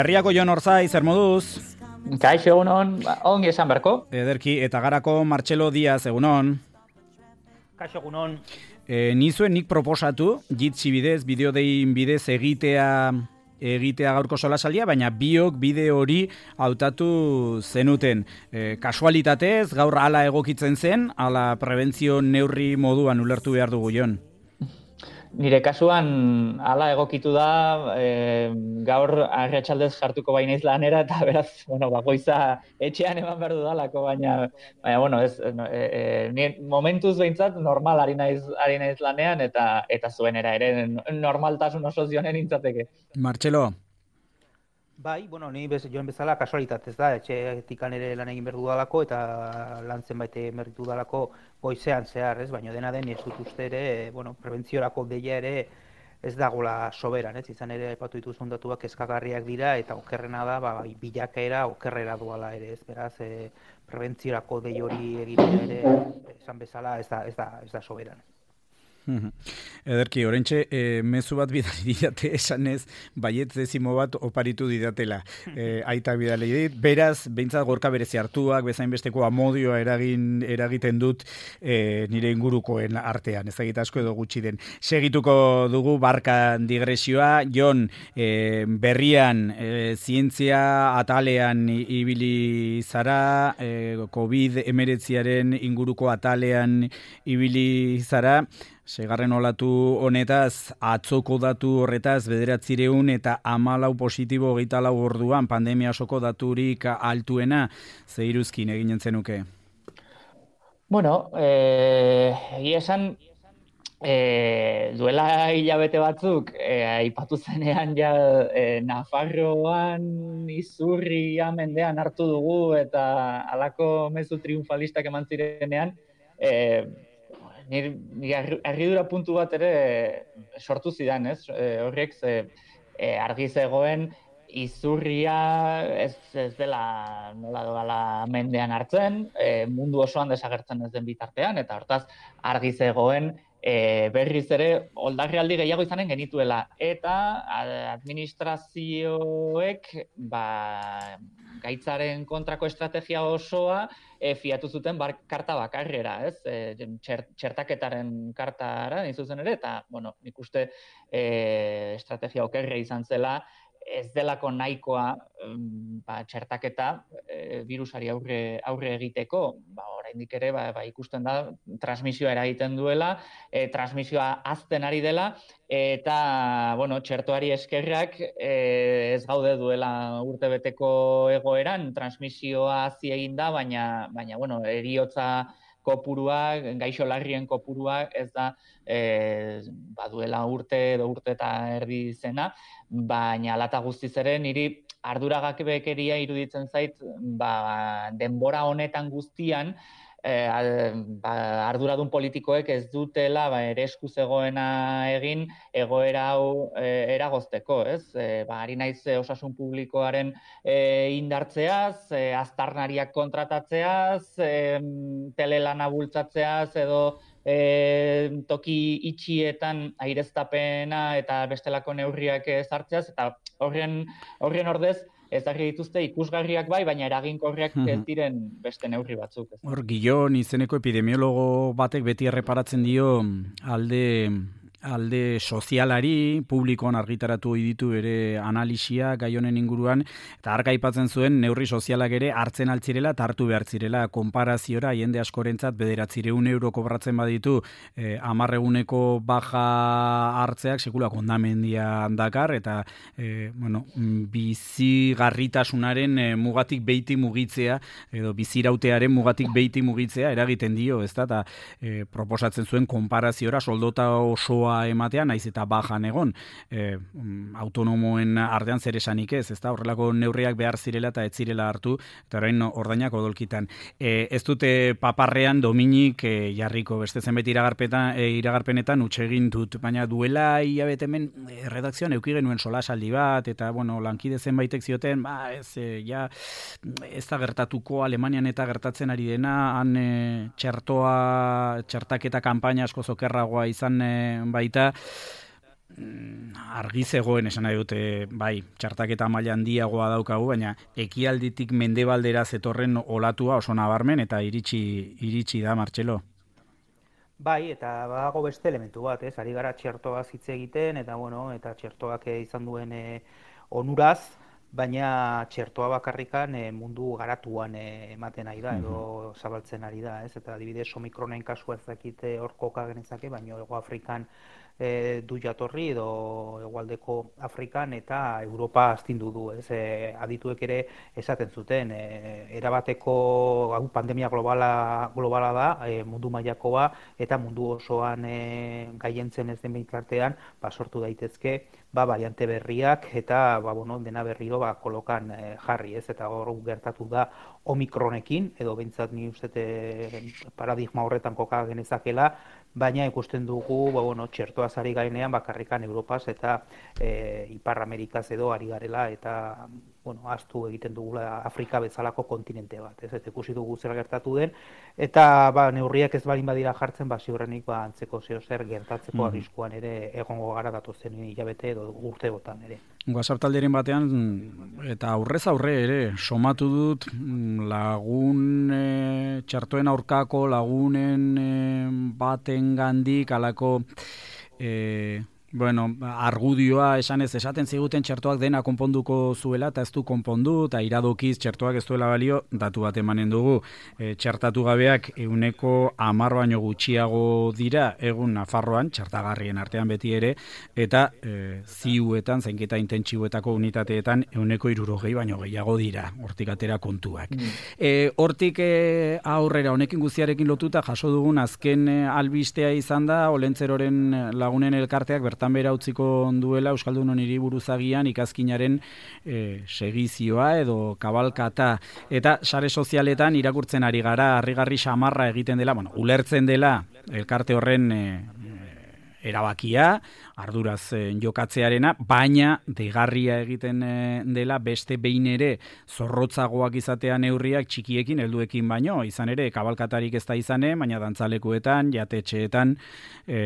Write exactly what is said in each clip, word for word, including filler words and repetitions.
Herriako Jon Orzai, zer moduz? Kaixo, egunon, ongi esan berko. Ederki, eta garako Martxelo Diaz, egunon. Kaixo, egunon. E, nizuen nik proposatu, jitsi bidez, bideodein bidez egitea egitea gaurko solasaldia, baina biok bide hori hautatu zenuten. E, kasualitatez, gaur hala egokitzen zen, hala prebentzio neurri moduan ulertu behar dugu, Jon. Nire kasuan hala egokitu da, e, gaur arratsaldez sartuko bainaiz lanera, eta beraz, bueno, bakoitza etxean eman behar dudalako, baina, baina, bueno, ez, e, e, momentuz behintzat normal ari naiz, ari naiz lanean, eta eta zuenera ere normaltasun oso zionen intzateke. Martxelo? Bai, bueno, ni bez, joan bezala kasualitatez da, etxeetikan ere lan egin behar dudalako, eta lan zenbait egin dudalako goizean zehar, ez? Baina dena den, ez dut uste ere, bueno, prebentziorako deia ere ez dagoela soberan, ez? Izan ere, aipatu dituzun datuak eskagarriak dira, eta okerrena da, ba, bilakaera okerrera duala ere, ez? Beraz, e, prebentziorako dei hori egitea ere, esan bezala, ez da, ez da, ez da soberan. Ederki, orentxe, e, mezu bat bidali didate esanez, baietz dezimo bat oparitu didatela. E, aita bidali dit, beraz, behintzat gorka berezi hartuak, bezain besteko amodioa eragin, eragiten dut e, nire ingurukoen artean, ez dakit asko edo gutxi den. Segituko dugu barkan digresioa, Jon, e, berrian, e, zientzia atalean ibili zara, e, covid hemeretziaren inguruko atalean ibili zara, segarren olatu honetaz, atzoko datu horretaz, bederatzireun eta hamalau positibo hogeita lau orduan, pandemia osoko daturik altuena, zeiruzkin eginen zenuke? Bueno, eh, egia esan, eh, duela hilabete batzuk, eh, aipatu zenean ja eh, Nafarroan izurria mendean hartu dugu, eta halako mezu triunfalistak eman zirenean, eh, Nire argidura puntu bat ere sortu zidan, ez? E, horrek ze, e, argi zegoen izurria ez, ez dela nola doala mendean hartzen, e, mundu osoan desagertzen ez den bitartean, eta hortaz argi zegoen e, berriz ere oldarrialdi gehiago izanen genituela. Eta administrazioek ba, gaitzaren kontrako estrategia osoa e, fiatu zuten bar, karta bakarrera, ez? E, txert, txertaketaren kartara, nahi zuzen ere, eta, bueno, nik uste e, estrategia okerre izan zela, ez delako nahikoa ba, txertaketa e, virusari aurre, aurre egiteko, ba, oraindik ere ba, ba, ikusten da transmisioa eragiten duela, e, transmisioa hazten ari dela, eta bueno, txertoari eskerrak e, ez gaude duela urtebeteko egoeran, transmisioa hazi egin da, baina, baina bueno, heriotza kopurua, gaixo larrien kopurua ez da e, baduela urte edo urte eta erdi zena, baina alata guztiz ere niri arduragabekeria iruditzen zait ba, denbora honetan guztian e, ba, arduradun politikoek ez dutela ba, ere esku zegoena egin egoera hau e, eragozteko, ez? E, ba, ari naiz osasun publikoaren e, indartzeaz, e, aztarnariak kontratatzeaz, e, telelana bultzatzeaz edo E, toki itxietan aireztapena eta bestelako neurriak ezartzeaz, eta horren, horren ordez ezarri dituzte ikusgarriak bai, baina eraginkorriak ez diren beste neurri batzuk. Hor, Gillon izeneko epidemiologo batek beti erreparatzen dio alde... alde sozialari, publikoan argitaratu ditu ere analisia gai honen inguruan, eta arka aipatzen zuen neurri sozialak ere hartzen altzirela eta hartu behar zirela konparaziora jende askorentzat bederatzireun euro kobratzen baditu eh, amarreguneko baja hartzeak sekula kondamendia dakar, eta eh, bueno, bizigarritasunaren eh, mugatik beiti mugitzea, edo bizirautearen mugatik beiti mugitzea eragiten dio, ezta, eta eh, proposatzen zuen konparaziora soldota osoa ematean, naiz eta bajan egon, e, autonomoen artean zer esanik ez, ezta, horrelako neurriak behar zirela eta ez zirela hartu, eta orain ordainak odolkitan. E, ez dute paparrean Dominik e, jarriko, beste zenbait iragarpetan, e, iragarpenetan utxe egin dut, baina duela hilabete hemen e, redakzioan eduki genuen solasaldi bat, eta bueno, lankide zenbaitek zioten, ba, ez, e, ja, ez da gertatuko Alemanian eta gertatzen ari dena, han e, txertoa, txertaketa kanpaina asko zokerragoa izan e, baita, argi zegoen esan nahi dute, bai, txertaketa maila handiagoa daukagu, baina ekialditik mendebaldera zetorren olatua oso nabarmen eta iritsi iritsi da, Martxelo. Bai, eta badago beste elementu bat, ez? Ari gara txertoaz hitz egiten, eta bueno, eta txertoak izan duen e, onuraz, baina txertoa bakarrikan e, mundu garatuan e, ematen ari da, edo zabaltzen ari da, ez? Eta adibidez Omikronen kasua ez dakite hor koka genezake, baina Hego Afrikan e, du jatorri edo hegoaldeko Afrikan eta Europa astindu du, ez? E, adituek ere esaten zuten, e, erabateko hau pandemia globala globala da, e, mundu mailakoa eta mundu osoan e, gaientzen ez den bitartean, ba sortu daitezke ba variante berriak eta ba bueno, dena berriro ba kolokan e, jarri, ez? Eta hor gertatu da Omikronekin edo behintzat ni uste paradigma horretan koka genezakela, baina ikusten dugu ba bueno, txertoaz ari gainean bakarrikan Europaz eta e, Ipar Amerikaz edo ari garela eta bueno, ahaztu egiten dugula Afrika bezalako kontinente bat, ez? Eta ikusi dugu zer gertatu den eta ba neurriak ez balin badira jartzen, ba ziurrenik ba antzeko zeo zer gertatzeko mm. arriskuan ere egongo gara datozen hilabete edo urteotan ere. WhatsApp talderen batean eta aurrez aurre ere somatu dut lagun e, txertoen aurkako lagunen e, batengandik alako e, bueno, argudioa esanez esaten ziguten txertoak dena konponduko zuela eta ez du konpondu eta iradokiz txertoak ez duela balio, datu bat emanen dugu. E, txertatu gabeak ehuneko hamar baino gutxiago dira egun Nafarroan, txertagarrien artean beti ere, eta e, ziuetan, zainketa intentsiboetako unitateetan ehuneko hirurogei baino gehiago dira, hortik atera kontuak. Mm. E, hortik e, aurrera, honekin guztiarekin lotuta jaso dugun azken e, albistea izan da, Olentzeroren lagunen elkarteak bertan bera utziko duela Euskaldunon hiriburuzagian ikazkinaren e, segizioa edo kabalkata eta sare sozialetan irakurtzen ari gara harrigarri samarra egiten dela, bueno, ulertzen dela elkarte horren e, erabakia, arduraz e, jokatzearena, baina degarria egiten e, dela beste behin ere zorrotzagoak izatea neurriak txikiekin helduekin baino, izan ere kabalkatarik ez da izane, baina dantzalekuetan, jatetxeetan, e,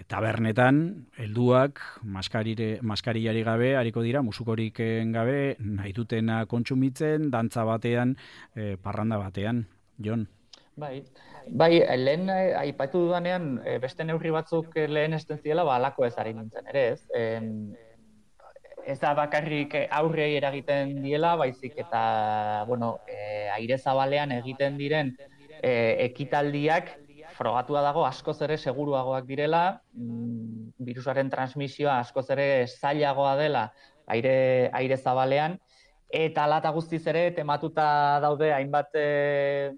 tabernetan, helduak maskarire, maskariari gabe, hariko dira, musukorik gabe, nahi dutena kontsumitzen, dantza batean, e, parranda batean, Jon. Bai, bai, lehen aipatu dudanean beste neurri batzuk lehen esten ziela, ba, alako ez ari nintzen ere, ez? E, ez da bakarrik aurrei eragiten diela, baizik eta, bueno, e, aire zabalean egiten diren e, ekitaldiak frogatua dago askoz ere seguruagoak direla, mm, virusaren transmisioa askoz ere zailagoa dela aire, aire zabalean, eta hala eta guztiz ere tematuta daude hainbat e,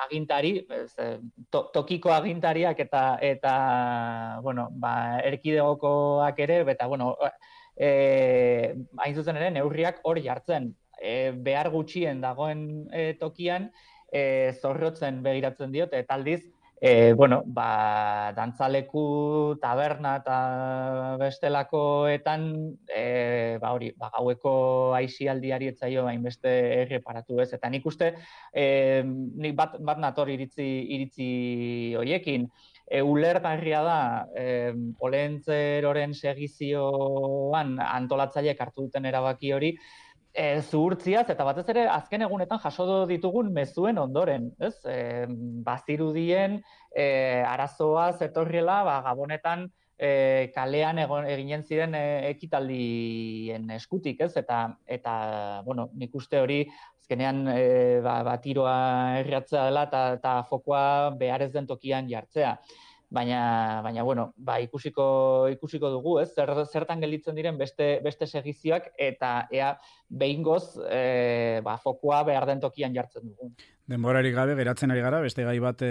agintari, ez, to, tokiko agintariak eta eta bueno, ba, erkidegokoak ere, eta bueno, e, hain zuzen ere neurriak hor jartzen. E, behar gutxien dagoen e, tokian e, zorrotzen begiratzen diote, eta aldiz E, bueno, ba, dantzaleku, taberna eta bestelakoetan, e, ba, hori, ba, gaueko aisialdiari etzaio hainbeste erreparatu ez. Eta nik uste, e, nik bat, bat nator iritzi, iritzi hoiekin, e, ulergarria da, e, Olentzeroren segizioan antolatzaileek hartu duten erabaki hori, E, zuhurtziaz, eta batez ere azken egunetan jaso ditugun mezuen ondoren, ez? E, bazirudien e, arazoa zetorriela, ba, Gabonetan e, kalean egon, eginen ziren e, ekitaldien eskutik, ez? Eta, eta bueno, nik uste hori azkenean e, ba, ba, tiroa erratzea dela eta, eta fokoa behar ez den tokian jartzea. Baina, baina bueno, ba, ikusiko, ikusiko dugu, ez? Zer, zertan gelditzen diren beste, beste segizioak eta ea behingoz e, ba, fokua behar den tokian jartzen dugu. Denborarik gabe geratzen ari gara, beste gai bat e,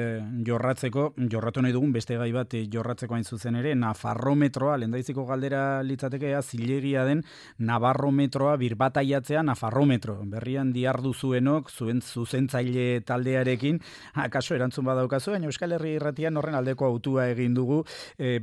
jorratzeko, jorratu nahi dugun beste gai bat e, jorratzeko hain zuzen ere, Nafarrometroa, lehendaiziko galdera litzatekea, zilegia den Navarrometroa birbataiatzea Nafarrometro. Berrian diardu zuenok, zuen zuzentzaile taldearekin, akaso erantzun badaukazu, baina Euskal Herri Irratian horren aldeko autua egin dugu, e,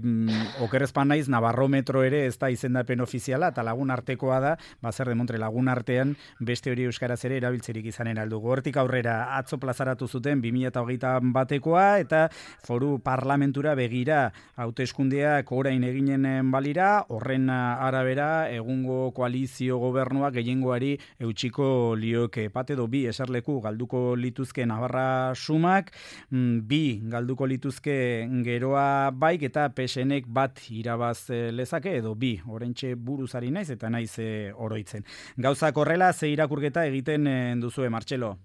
okerrezpan naiz Navarrometro ere ez da izendapen ofiziala, eta lagun artekoa da, ba zer demontre lagun artean beste hori euskaraz ere erabiltzerik izanen aldugu. Hortik aurrera atzo plazaratu zuten bi mila hogeita batekoa eta foru parlamentura begira hauteskundeak orain eginen balira, horren arabera egungo koalizio gobernuak gehiengoari eutxiko lioke pat edo bi eserleku galduko lituzke Navarra sumak, bi galduko lituzke geroa baik eta P S Nek bat irabaz lezake edo bi, oraintxe buruzari naiz eta naiz oroitzen. Gauzak horrela, ze irakurketa egiten duzue, Martxelo?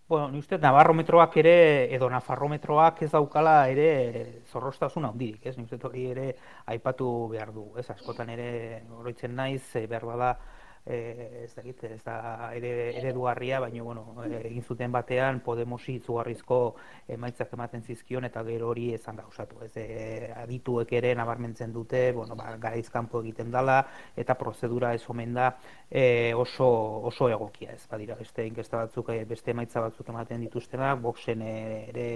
Bueno, ni uste Navarrometroak ere, edo Nafarrometroak ez daukala ere zorroztasun handirik, ez? Ni uste hori ere aipatu behar du, ez? Askotan ere oroitzen naiz, behar bada, ez dakit, ez da ere eredugarria, baina bueno, egin zuten batean Podemosi izugarrizko emaitzak ematen zizkion eta gero hori ezan gauzatu. Ez adituek ere nabarmentzen dute, bueno, ba, garaiz kanpo egiten dela eta prozedura ez omen da e, oso, oso egokia, ez badira beste inkesta batzuk, beste emaitza batzuk ematen dituztenak, Voxen ere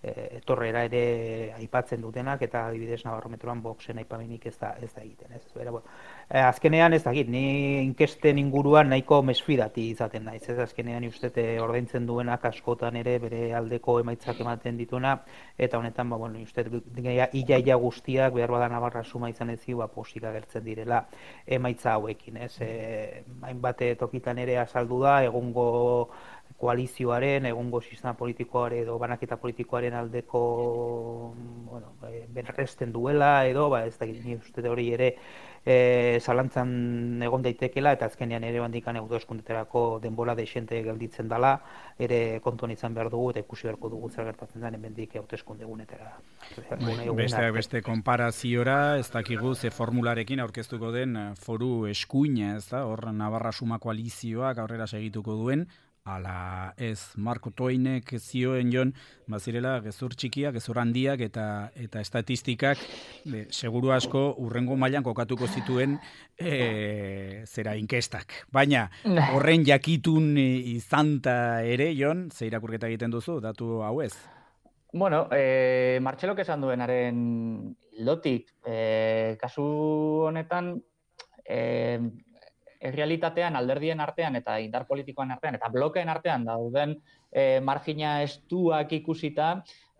etorrera ere aipatzen dutenak eta adibidez Navarrometroan Voxen aipamenik ez da ez da egiten, ez. Bera, bueno, azkenean ez dakit, ni inkesten inguruan nahiko mesfidati izaten naiz, ez. Azkenean ustete ordaintzen duenak askotan ere bere aldeko emaitzak ematen dituna eta honetan ba bueno, ustez ia guztiak behar bada Navarra suma izan ezi, ba posik agertzen direla emaitza hauekin, ez. E, hainbat tokitan ere azaldu da egungo koalizioaren, egungo sistema politikoare edo banaketa politikoaren aldeko bueno, berresten duela edo, ba, ez da ni uste hori ere e, zalantzan egon daitekela eta azkenean ere bandikan hauteskundeetarako denbora dexente gelditzen dela, ere kontuan izan behar dugu eta ikusi beharko dugu zer gertatzen den hemendik hauteskunde egunetara. Beste beste konparaziora, ez dakigu ze formularekin aurkeztuko den foru eskuina, ez da? Hor Navarra suma koalizioak aurrera segituko duen. Ala ez, Marko Toinek zioen jon, bazirela gezur txikiak, gezur handiak eta eta estatistikak de, seguru asko urrengo mailan kokatuko zituen e, zera inkestak. Baina horren jakitun izanta ere, jon, ze irakurketa egiten duzu, datu hau ez? Bueno, eh, Martxelok esan duenaren lotik, eh, kasu honetan, eh, errealitatean alderdien artean eta indar politikoan artean eta blokeen artean dauden e, margina estuak ikusita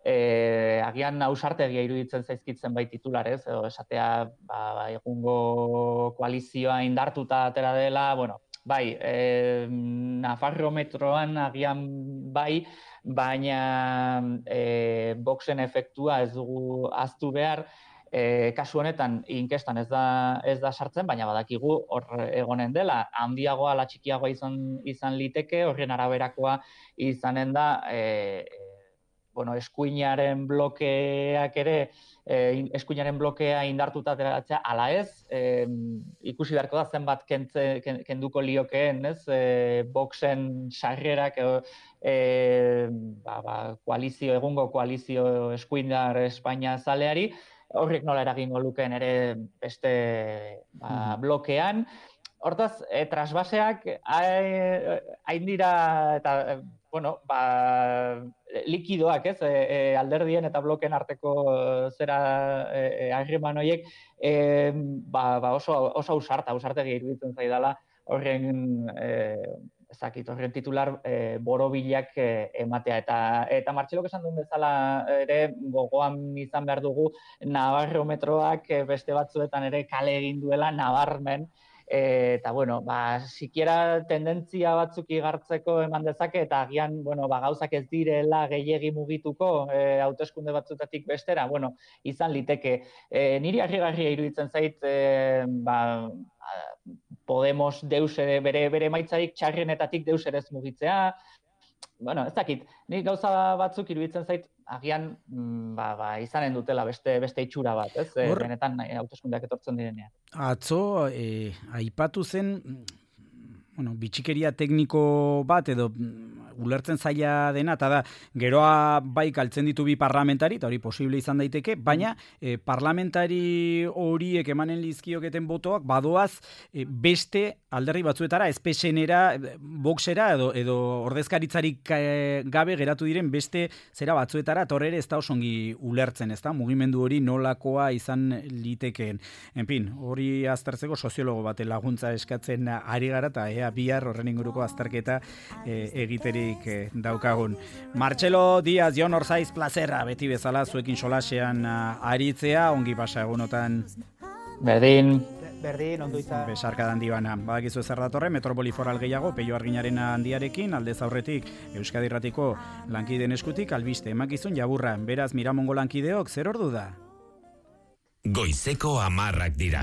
e, agian ausartegia iruditzen zaizkitzen bai titularez, edo esatea ba, egungo koalizioa indartuta atera dela, bueno, bai, e, Nafarrometroan agian bai, baina e, Voxen efektua ez dugu ahaztu behar. E, kasu honetan inkestan ez da ez da sartzen, baina badakigu hor egonen dela handiagoa ala txikiagoa izan izan liteke, horren araberakoa izanen da e, bueno, eskuinaren blokeak ere e, eskuinaren blokea indartuta ateratzea ala ez, e, ikusi beharko da zenbat kentze, kenduko liokeen, ez? E, Voxen sarrerak e, ba, ba, koalizio egungo koalizio eskuindar Espainia zaleari horrek nola eragingo lukeen ere beste ba, blokean. Hortaz, e, trasbaseak hain dira eta, bueno, ba, likidoak, ez, e, e, alderdien eta blokeen arteko zera e, harreman horiek e, ba, ba oso, oso ausarta, ausartegi iruditzen zaidala horren e, ezakit, horren titular e, borobilak e, ematea. Eta, eta Martxelok esan duen bezala ere gogoan izan behar dugu Navarrometroak beste batzuetan ere kale egin duela nabarmen. E, eta, bueno, ba, sikiera tendentzia batzuk igartzeko eman dezake eta agian, bueno, ba, gauzak ez direla gehiegi mugituko e, hauteskunde batzutatik bestera, bueno, izan liteke. E, niri harrigarria iruditzen zait, e, ba, Podemos deus ere, bere, bere maitzarik txarrenetatik deus ere ez mugitzea. Bueno, ez dakit, nik gauza batzuk iruditzen zait, agian ba, ba, izanen dutela beste, beste itxura bat, ez? Hor, benetan hauteskundeak etortzen direnean. Atzo, eh, aipatu zen, bueno, bitxikeria tekniko bat edo ulertzen zaila dena, eta da, geroa bai galtzen ditu bi parlamentari, eta hori posible izan daiteke, baina e, parlamentari horiek emanen lizkioketen botoak badoaz e, beste alderri batzuetara, espesenera, boxera edo, edo ordezkaritzarik gabe geratu diren beste zera batzuetara, eta horre ere ez da osongi ulertzen, ez da, mugimendu hori nolakoa izan litekeen. En fin, hori aztertzeko soziologo bate laguntza eskatzen ari gara, eta ea bihar horren inguruko azterketa e, egiterik e, daukagun. Martxelo Diaz, Jon Orzaiz, plazerra, beti bezala zuekin solasean aritzea, ongi pasa egunotan. Berdin. Berdin, ondo izan. Besarka handi bana. Badakizu zer datorre, Metropoli Foral gehiago, Peio Arginaren handiarekin, aldez aurretik Euskadi Irratiko lankideen eskutik, albiste emakizun jaburra. Beraz, Miramongo lankideok, zer ordu da? Goizeko hamarrak dira.